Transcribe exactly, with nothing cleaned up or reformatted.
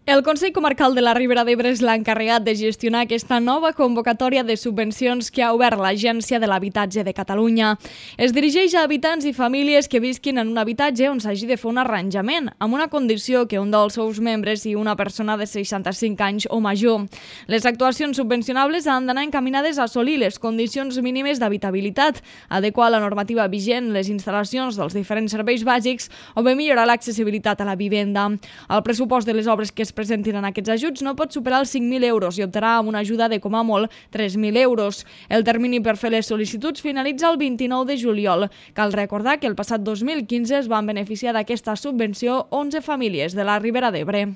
El Consell Comarcal de la Ribera d'Ebre és l'encarregat de gestionar aquesta nova convocatòria de subvencions que ha obert l'Agència de l'Habitatge de Catalunya. Es dirigeix a habitants i famílies que visquin en un habitatge on s'hagi de fer un arranjament, amb una condició que un dels seus membres sigui una persona de seixanta-cinc anys o major. Les actuacions subvencionables han d'anar encaminades a assolir les condicions mínimes d'habitabilitat, adequar la normativa vigent, les instal·lacions dels diferents serveis bàsics o bé millorar l'accessibilitat a la vivenda. El pressupost de les obres que es presentin en aquests ajuts no pot superar els cinc mil euros i optarà amb una ajuda de com a molt tres mil euros. El termini per fer les sol·licituds finalitza el vint-i-nou de juliol. Cal recordar que el passat dos mil quinze es van beneficiar d'aquesta subvenció onze famílies de la Ribera d'Ebre.